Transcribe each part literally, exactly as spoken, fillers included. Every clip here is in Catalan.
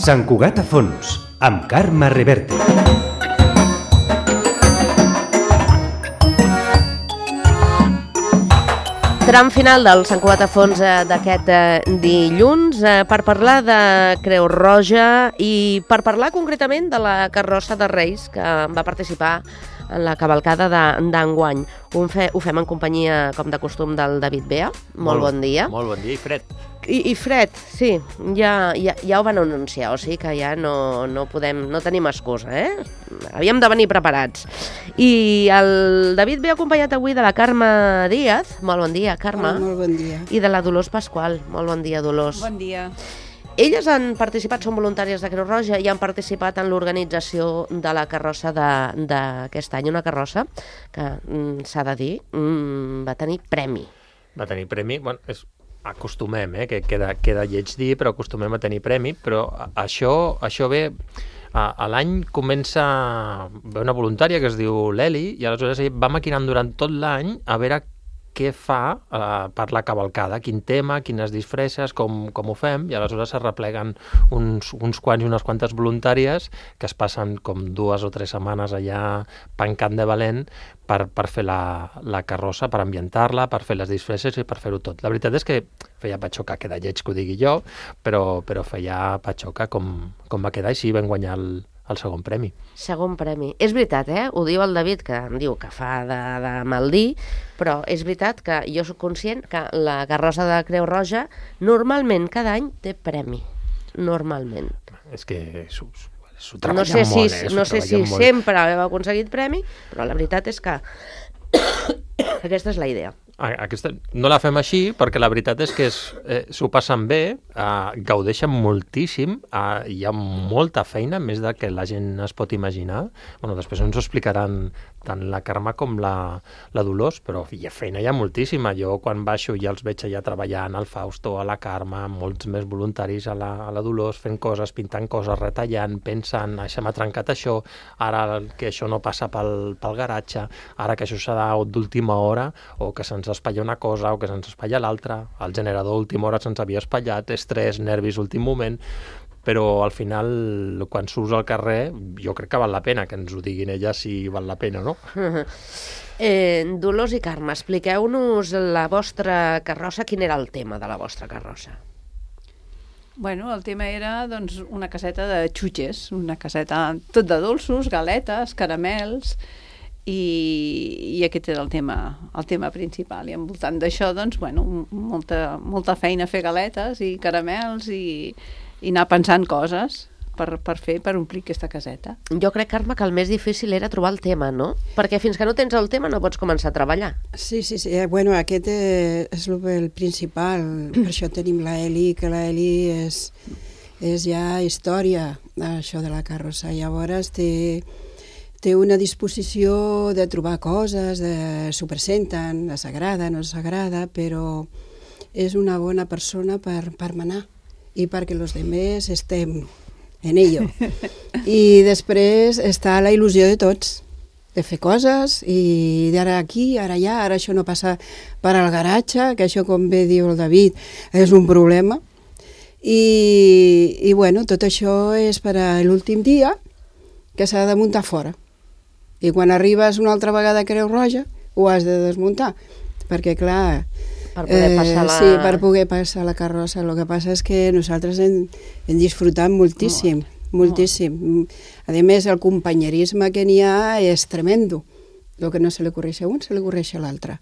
Sant Cugat a fons, amb Carme Reverte. Tram final del Sant Cugat a fons d'aquest dilluns per parlar de Creu Roja i per parlar concretament de la carrossa de Reis que va participar en la cavalcada d'enguany. Ho, fe, ho fem en companyia, com de costum, del David Bea. Molt, molt bon dia. Molt bon dia i fred. I, i fred, sí, ja, ja, ja ho van anunciar, o sigui que ja no, no podem, no tenim excusa, eh? Havíem de venir preparats. I el David ve acompanyat avui de la Carme Díaz. Molt bon dia, Carme. Hola, molt bon dia. I de la Dolors Pasqual. Molt bon dia, Dolors. Bon dia. Elles han participat, són voluntàries de Creu Roja i han participat en l'organització de la carrossa d'aquest any. Una carrossa que, s'ha de dir, va tenir premi. Va tenir premi, bueno, és... acostumem, eh, que queda, queda lleig dir, però acostumem a tenir premi, però això, això ve, a, a l'any comença ve una voluntària que es diu l'Eli, i aleshores va maquinant durant tot l'any a veure què fa eh, per la cavalcada, quin tema, quines disfresses, com, com ho fem, i aleshores es repleguen uns, uns quants i unes quantes voluntàries que es passen com dues o tres setmanes allà pencant de valent per, per fer la, la carrossa, per ambientar-la, per fer les disfresses i per fer-ho tot. La veritat és que feia patxoca, queda lleig que ho digui jo, però, però feia patxoca com, com va quedar i sí, vam guanyar el, el segon premi. Segon premi. És veritat, eh? Ho diu el David, que em diu que fa de, de mal dir, però és veritat que jo soc conscient que la carrossa de Creu Roja normalment cada any té premi. Normalment. És que s'ho no sé si, molt, eh? No sé si molt. Sempre heu aconseguit premi, però la veritat és que aquesta és la idea. Aquesta, no la fem així perquè la veritat és que eh, s'ho passen bé, eh, gaudeixen moltíssim, eh, hi ha molta feina, més del que la gent es pot imaginar. Bueno, després ens ho explicaran tant la Carme com la, la Dolors, però hi ha feina, hi ha moltíssima. Jo quan baixo ja els veig allà treballant, al Fausto, a la Carme, molts més voluntaris a la, a la Dolors, fent coses, pintant coses, retallant, pensant, això m'ha trencat això, ara que això no passa pel, pel garatge, ara que això serà d'última hora, o que se'ns espatlla una cosa o que se'ns espatlla l'altra, el generador última hora se'ns havia espatllat, estrès, nervis últim moment, però al final quan surts al carrer jo crec que val la pena que ens ho diguin elles si val la pena o no. eh, Dolors i Carme, expliqueu-nos la vostra carrossa, quin era el tema de la vostra carrossa? Bueno, el tema era doncs, una caseta de xutxes, una caseta tot de dolços, galetes, caramels, i, i aquest era el tema, el tema principal. I envoltant d'això, doncs, bueno, molta, molta feina a fer galetes i caramels i, i anar pensant coses per, per fer, per omplir aquesta caseta. Jo crec, Carme, que el més difícil era trobar el tema, no? Perquè fins que no tens el tema no pots començar a treballar. Sí, sí, sí. Bueno, aquest és el principal. Per això tenim la Eli, que la Eli és, és ja història, això de la carrossa. Llavors té... té una disposició de trobar coses, de s'ho presenten, s'agrada, no s'agrada, però és una bona persona per, per manar i perquè els altres estem en ello. I després està la il·lusió de tots, de fer coses, i d'ara aquí, ara allà, ara això no passa per al garatge, que això, com bé diu el David, és un problema. I, i bueno, tot això és per a l'últim dia, que s'ha de muntar fora. I quan arribes una altra vegada a Creu Roja ho has de desmuntar, perquè clar... Per poder passar la... Eh, sí, per poder passar la carrossa. El que passa és que nosaltres hem, hem disfrutat moltíssim, molt, moltíssim. Molt. A més, el companyerisme que n'hi ha és tremendo. El que no se li ocorreix a un, se li ocorreix a l'altre.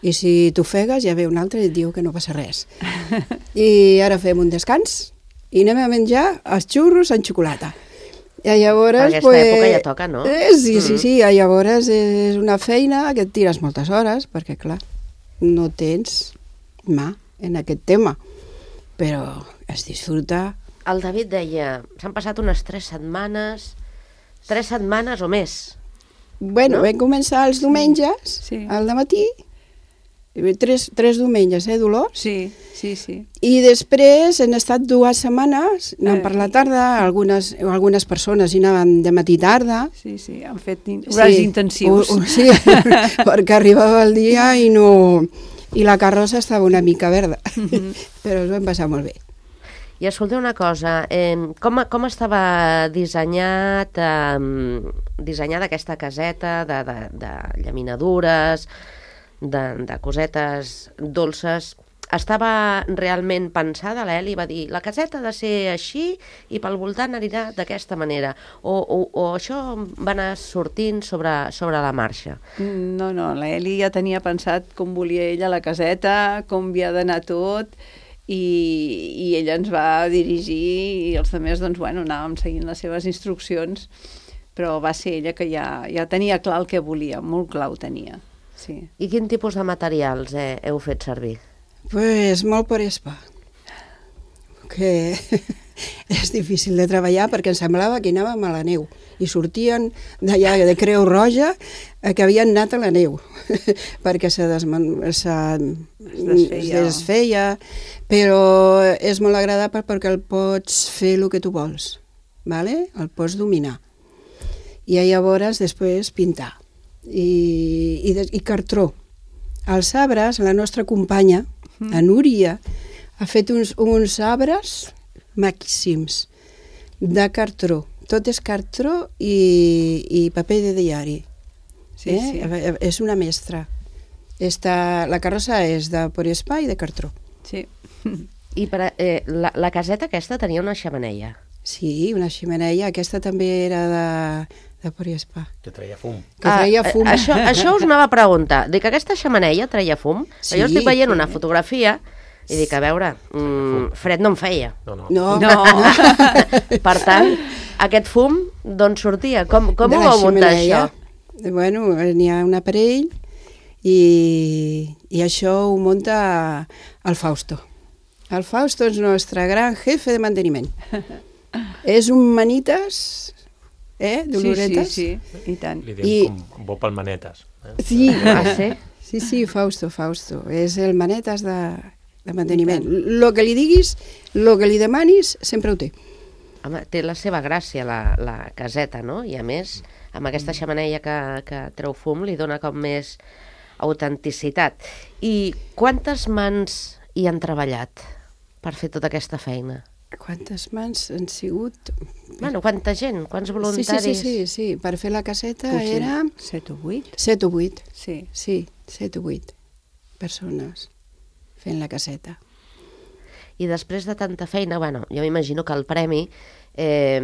I si t'ofegues, ja ve un altre i et diu que no passa res. I ara fem un descans i anem a menjar els xurros en xocolata. I llavors, per aquesta pues, època ja toca, no? Eh, sí, sí, sí, i llavors és una feina que et tires moltes hores, perquè clar, no tens mà en aquest tema, però es disfruta. El David deia, s'han passat unes tres setmanes, tres setmanes o més. Bueno, no? Vam començar els diumenges, sí. Al dematí, Tres, tres diumenges, eh, Dolors? Sí, sí, sí. I després han estat dues setmanes, anant per la tarda, algunes, algunes persones hi anaven de matí tarda. Sí, sí, han fet horaris sí, intensius. O, o, sí, perquè arribava el dia i no... I la carrossa estava una mica verda, mm-hmm. però ens vam passar molt bé. I escolteu una cosa, eh, com, com estava dissenyat, eh, dissenyada aquesta caseta de, de, de llaminadures, de, de cosetes dolces? Estava realment pensada, l'Eli va dir, la caseta ha de ser així i pel voltant anirà d'aquesta manera, o, o, o això va anar sortint sobre, sobre la marxa? No, no, l'Eli ja tenia pensat com volia ella la caseta, com havia d'anar tot, i, i ella ens va dirigir i els altres, doncs, bueno, anàvem seguint les seves instruccions, però va ser ella que ja, ja tenia clar el que volia, molt clar ho tenia. Sí. I quin tipus de materials eh, heu fet servir? Pues molt por espa, que és difícil de treballar perquè em semblava que anàvem a la neu i sortien d'allà de Creu Roja que havien anat a la neu perquè se, desman... se... es desfeia. es desfeia, però és molt agradable perquè el pots fer el que tu vols, ¿vale? El pots dominar i llavors després pintar i, i, i cartró. Els arbres, la nostra companya, a Núria, ha fet uns, uns arbres màxims de cartró. Tot és cartró i, i paper de diari. Sí, eh? sí. És una mestra. Esta, la carrossa és de poliespa i de cartró. Sí. I per, eh, la, la caseta aquesta tenia una xemeneia. Sí, una ximeneia. Aquesta també era de, de poliespa. Que treia fum. Que treia fum. Ah, això, això us anava a preguntar. Dic, aquesta xemeneia treia fum? Sí, jo estic veient sí. una fotografia i dic, a veure, mm, fred no em feia. No, no. No, No. Per tant, aquest fum d'on sortia? Com, com de ho la vau muntar, xemeneia. això? Bueno, n'hi ha un aparell i, i això ho munta el Fausto. El Fausto és el nostre gran jefe de manteniment. És un manites, eh, d'oloretes. Sí, sí, sí, i tant. Li diem I- com bo pel manetes. Eh? Sí, Ah, sí? sí, sí, Fausto, Fausto. És el manetes de, de manteniment. Lo que li diguis, lo que li demanis, sempre ho té. Home, té la seva gràcia, la, la caseta, no? I a més, amb aquesta xemeneia que, que treu fum, li dona com més autenticitat. I quantes mans hi han treballat per fer tota aquesta feina? Quantes mans han sigut? Bueno, quanta gent? Quants Sí, voluntaris? sí, sí, sí, sí. Per fer la caseta Potser era set o vuit. set o vuit. Sí. Sí, set o vuit persones fent la caseta. I després de tanta feina, bueno, jo m'imagino que el premi eh,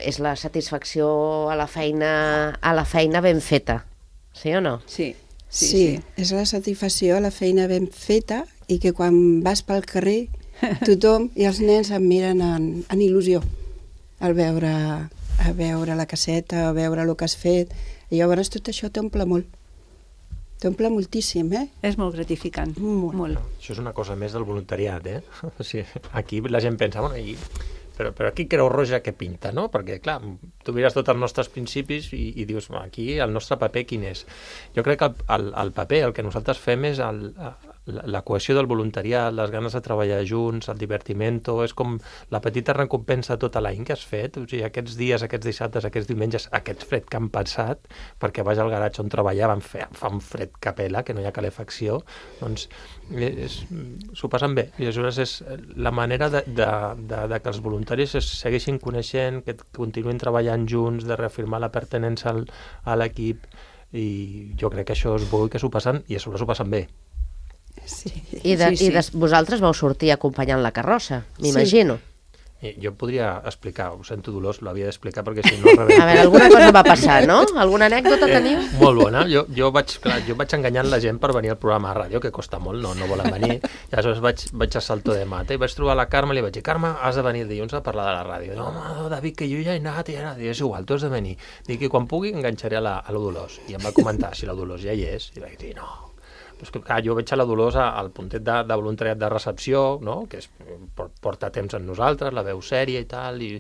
és la satisfacció a la feina a la feina ben feta, sí o no? Sí, Sí, sí, sí, sí. és la satisfacció, la feina ben feta i que quan vas pel carrer tothom i els nens em miren en, en il·lusió al veure, a veure la caseta, a veure el que has fet. I llavors tot això t'omple molt. T'omple moltíssim, eh? És molt gratificant. Molt. Molt. Això és una cosa més del voluntariat, eh? O sigui, aquí la gent pensa, bueno, i, però, però aquí Creu Roja què pinta, no? Perquè, clar, tu mires tots els nostres principis i, i dius, aquí el nostre paper quin és? Jo crec que el, el, el paper, el que nosaltres fem és el, la, la cohesió del voluntariat, les ganes de treballar junts, el divertimento, és com la petita recompensa tota l'any que has fet, o sigui, aquests dies, aquests dissabtes, aquests diumenges, aquest fred que han passat, perquè vas al garatge on treballaven, fa, fa un fred que pela, que no hi ha calefacció, doncs és, s'ho passen bé. I aleshores és la manera de, de, de, de que els voluntaris es segueixin coneixent, que continuïn treballant junts, de reafirmar la pertinença al, a l'equip, i jo crec que això és bo i que s'ho passen, i a sobre s'ho passen bé. Sí. I, de, Sí, sí. i des, vosaltres vau sortir acompanyant la carrossa, m'imagino. I jo podria explicar, ho sento Dolors, l'havia d'explicar perquè si no... A veure, alguna cosa va passar, no? Alguna anècdota teniu? Eh, molt bona. Jo, jo, vaig, clar, jo vaig enganyant la gent per venir al programa de ràdio, que costa molt, no, no volen venir. I aleshores vaig, vaig a Salto de Mata i vaig trobar la Carme i li vaig dir, Carme, has de venir dilluns a parlar de la ràdio. No, home, David, que jo ja he anat i he anat. I és igual, tu has de venir. Dic, i quan pugui enganxaré a la, a la Dolors. I em va comentar si la Dolors ja hi és. I vaig dir, no. Però és que, clar, jo veig a la Dolors al puntet de, de voluntariat de recepció, no? Que és, porta temps amb nosaltres, la veu sèria i tal, i,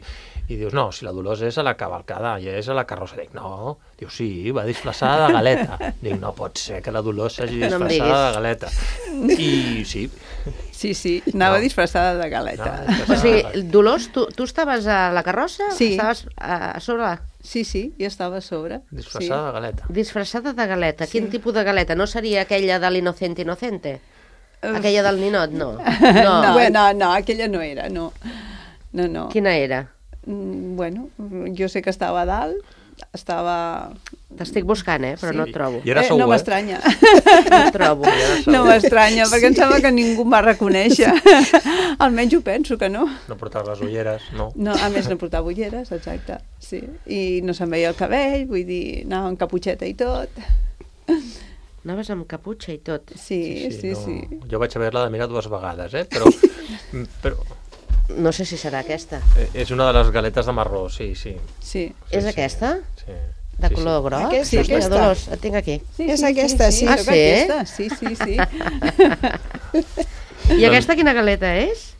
i dius, no, si la Dolors és a la cavalcada, ja és a la carrossa. Dic, no, diu, sí, va disfressada de galeta. Dic, no pot ser que la Dolors s'hagi No em disfressada diguis. de galeta. I sí. Sí, sí, anava No. disfressada de galeta. Anava O disfressada de sigui, galeta. Dolors, tu, tu estaves a la carrossa? Sí. Estaves a, a sobre la... Sí, sí, jo estava a sobre. Disfressada de galeta. Disfressada de galeta. Sí. Quin tipus de galeta? No seria aquella de l'innocente inocente? Uf. Aquella del ninot, no. No, No. no, no, no, aquella no era, no. No, no. Quina era? Mm, Bueno, jo sé que estava a dalt, estava... T'estic buscant, eh? Però Sí. no et trobo. I era Eh, segur, no eh? m'estranya. No et trobo. No m'estranya, perquè em sembla que ningú em va reconèixer. Almenys ho penso que no. No portava les ulleres, no. No, a més no portava ulleres, exacte, sí. I no se'm veia el cabell, vull dir, anava amb caputxeta i tot. Anaves amb caputxa i tot. Sí, sí, sí. no. Jo vaig haver-la de mirar dues vegades, eh? Però, però No sé si serà aquesta. eh, és una de les galetes de marró, sí, sí. Sí. sí És sí, aquesta? Sí. De sí, color sí. groc? Aquesta, Sí, aquesta. Dolors, et tinc aquí. Sí, És aquesta, sí. Ah, crec sí? que aquesta, sí, sí, sí. I aquesta quina galeta és?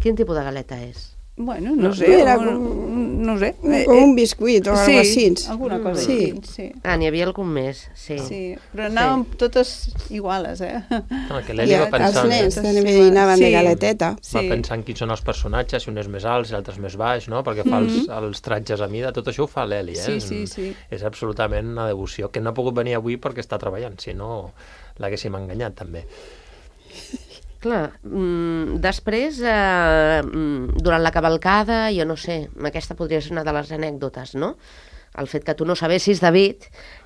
Quin tipus de galeta és? Bueno, no, No, sé, era un, com- no sé. Com un biscuit o sí, alguna cosa així. alguna cosa Sí. així, sí. Ah, n'hi havia algun més, sí. Sí, però anàvem totes iguales, eh? No, que I l'Eli va els pensant, nens eh? també anaven Sí. de galeteta. va Sí. pensant quins són els personatges, si un és més alt, si l'altre és més baix, no? Perquè fa els, els tratges a mida, tot això ho fa l'Eli, eh? Sí, sí, sí. És absolutament una devoció, que no ha pogut venir avui perquè està treballant, si no l'haguéssim enganyat, també. Clar, mm, després, eh, mm, durant la cavalcada, jo no sé, aquesta podria ser una de les anècdotes, no? El fet que tu no sabessis, David,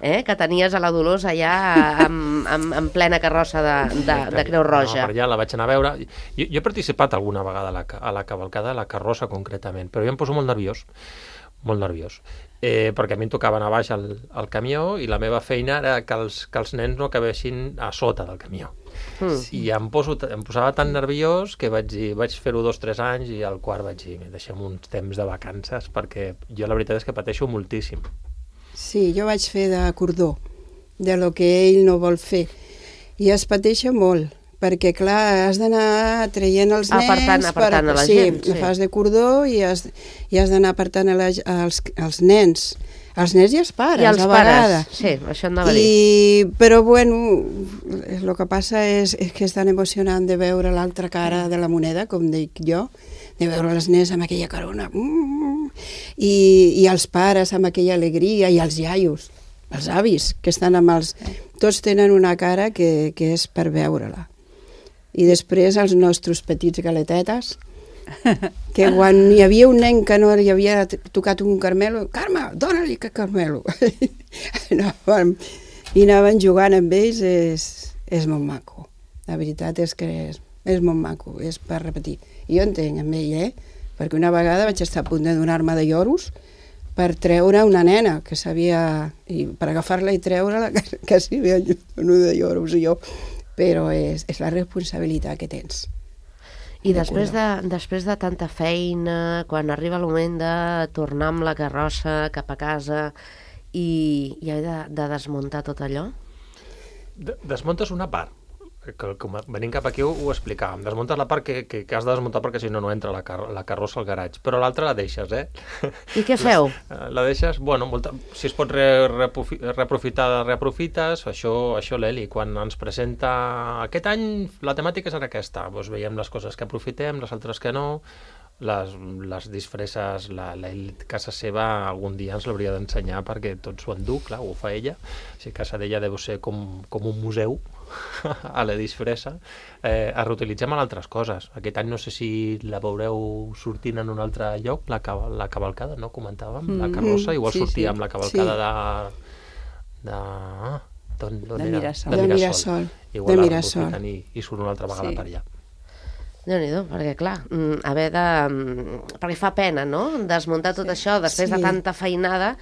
eh, que tenies a la Dolors allà en, en, en plena carrossa de, de, de Creu Roja. No, per allà la vaig anar a veure. Jo, jo he participat alguna vegada a la, ca- a la cavalcada, a la carrossa concretament, però jo em poso molt nerviós, molt nerviós, eh, perquè a mi em tocava anar baix al, al camió i la meva feina era que els, que els nens no acabessin a sota del camió. Mm. I em, poso, em posava tan nerviós que vaig dir, vaig fer-ho dos o tres anys i al quart vaig dir, deixem uns temps de vacances perquè jo la veritat és que pateixo moltíssim. Sí, jo vaig fer de cordó, de lo que ell no vol fer. I es pateixa molt, perquè, clar, has d'anar traient els nens... Apartant- apartant a la sí, gent, sí. fas de cordó i has, i has d'anar apartant a la, als, als nens. Els nens i els pares, I els a pares, vegades. sí, això anava a dir. I, però, bueno, el que passa és, és que és tan emocionant de veure l'altra cara de la moneda, com dic jo, de veure els nens amb aquella carona, mm, i, i els pares amb aquella alegria, i els iaios, els avis, que estan amb els... Tots tenen una cara que, que és per veure-la. I després els nostres petits galetetes, que quan hi havia un nen que no li havia tocat un carmelo, Carme, dóna-li que carmelo. anàvem, I anaven jugant amb ells, és, és molt maco. La veritat és que és, és molt maco, és per repetir. I jo entenc amb ell, eh? Perquè una vegada vaig estar a punt de donar-me de lloros per treure una nena que sabia, i per agafar-la i treure-la, que, que s'hi havia donat de lloros jo. Però és, és la responsabilitat que tens. I després de, després de tanta feina, quan arriba el moment de tornar amb la carrossa cap a casa i, i haver de, de desmuntar tot allò? De, desmuntes una part, que, que com venint cap aquí ho, ho explicàvem. Desmuntes la part que, que, que has de desmuntar perquè si no no entra la, car la carrossa al garatge, però l'altra la deixes, eh? I què feu? La, la deixes, bueno, molta, si es pot re, reprofi, reaprofitar, reaprofites, això, això l'Eli, quan ens presenta aquest any la temàtica serà aquesta, doncs veiem les coses que aprofitem, les altres que no, les, les disfresses, la, la casa seva algun dia ens l'hauria d'ensenyar perquè tot s'ho endú, clar, ho fa ella, o sigui, casa d'ella deu ser com, com un museu a la disfressa, eh, es reutilitzem en altres coses. Aquest any no sé si la veureu sortint en un altre lloc, la, la cavalcada, no? Comentàvem, la carrossa, igual sí, sortia sí. amb la cavalcada Sí. de... de... Ah, d'on, d'on De era? Mirasol. De Mirasol, Igual de la Mirasol. reaprofiten I, i surt una altra vegada Sí. per allà. Déu-n'hi-do, perquè clar, mm, haver de... mm, perquè fa pena, no?, desmuntar tot Sí. això després Sí. de tanta feinada,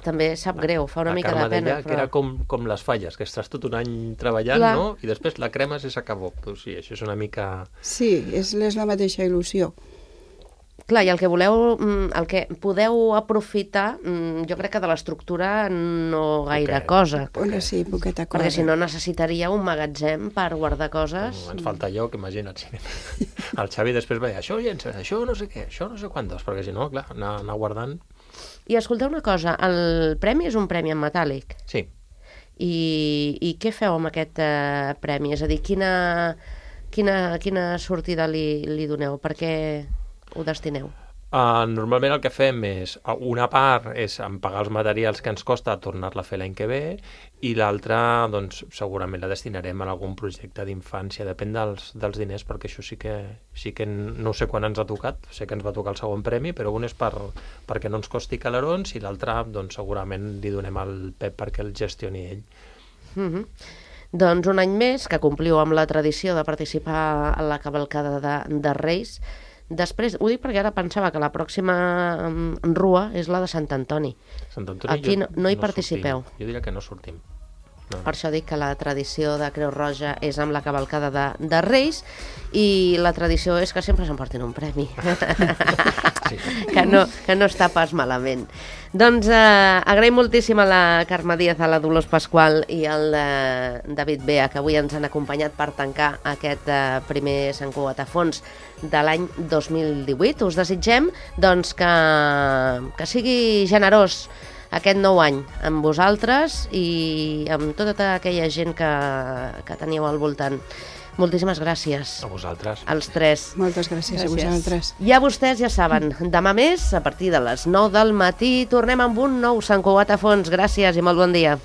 també sap greu, fa una La mica Carme de pena. deia que era com, com les falles, que estàs tot un any treballant, Clar. no? I després la cremes i s'acabó. Pues sí, això és una mica... Sí, és, és la mateixa il·lusió. Clar, i el que voleu, mm, el que podeu aprofitar, mm, jo crec que de l'estructura no gaire Poquet. cosa, Una sí, poqueta cosa. perquè si no necessitaria un magatzem per guardar coses. Ens falta lloc, imagina't. Sí. El Xavi després va dir, això llença, això no sé què, això no sé quantos, perquè si no, clar, anar, anar guardant... I escolteu una cosa, el premi és un premi en metàl·lic. Sí, I, i què feu amb aquest eh, premi? És a dir, quina, quina, quina sortida li, li doneu? Per què ho destineu? Uh, normalment el que fem és, una part és en pagar els materials que ens costa tornar-la a fer l'any que ve, i l'altra, doncs, segurament la destinarem a algun projecte d'infància, depèn dels, dels diners, perquè això sí que, sí que no sé quan ens ha tocat, sé que ens va tocar el segon premi, però un és per, perquè no ens costi calarons, i l'altre, doncs, segurament li donem al Pep perquè el gestioni ell. Mm-hmm. Doncs un any més que compliu amb la tradició de participar a la cavalcada de, de Reis. Després, ho dic perquè ara pensava que la pròxima rua és la de Sant Antoni. Sant Antoni Aquí jo, no, no hi no participeu. Sortim. Jo diria que no sortim. No. Per això dic que la tradició de Creu Roja és amb la cavalcada de, de Reis, i la tradició és que sempre s'emportin un premi. Sí. que, no, que no està pas malament. Doncs eh, agraïm moltíssim a la Carme Díaz, a la Dolors Pasqual i al eh, David Bea, que avui ens han acompanyat per tancar aquest eh, primer Sant Cugat a Fons de l'any dos mil divuit. Us desitgem doncs, que, que sigui generós aquest nou any amb vosaltres i amb tota aquella gent que, que teníeu al voltant. Moltíssimes gràcies. A vosaltres. Els tres. Moltes gràcies, gràcies a vosaltres. Ja vostès ja saben, demà més, a partir de les nou del matí, tornem amb un nou Sant Cugat a Fons. Gràcies i molt bon dia.